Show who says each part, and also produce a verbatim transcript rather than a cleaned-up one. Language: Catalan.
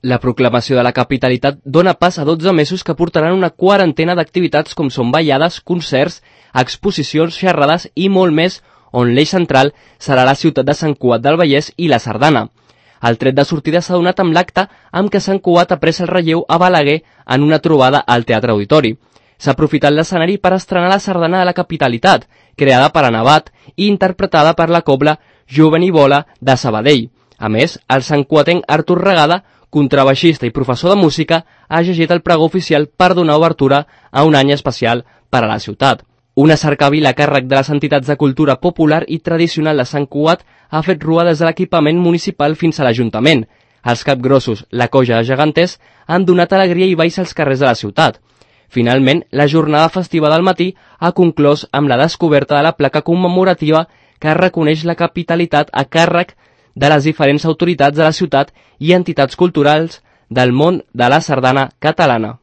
Speaker 1: La proclamació de la capitalitat dona pas a dotze mesos que portaran una quarantena d'activitats com són ballades, concerts, exposicions, xerrades i molt més, on l'eix central serà la ciutat de Sant Cugat del Vallès i la Sardana. El tret de sortida s'ha donat amb l'acte amb què Sant Cugat ha pres el relleu a Balaguer en una trobada al Teatre Auditori. S'ha aprofitat l'escenari per estrenar la sardana de la capitalitat, creada per Anabat i interpretada per la cobla Jovenibola de Sabadell. A més, el santcuatenc Artur Regada, contrabaixista i professor de música, ha llegit el pregó oficial per donar obertura a un any especial per a la ciutat. Una cercavila a càrrec de les entitats de cultura popular i tradicional de Sant Cugat ha fet rua des de l'equipament municipal fins a l'Ajuntament. Els capgrossos, la colla de geganters, han donat alegria i balls als carrers de la ciutat. Finalment, la jornada festiva del matí ha conclòs amb la descoberta de la placa commemorativa que reconeix la capitalitat a càrrec de les diferents autoritats de la ciutat i entitats culturals del món de la sardana catalana.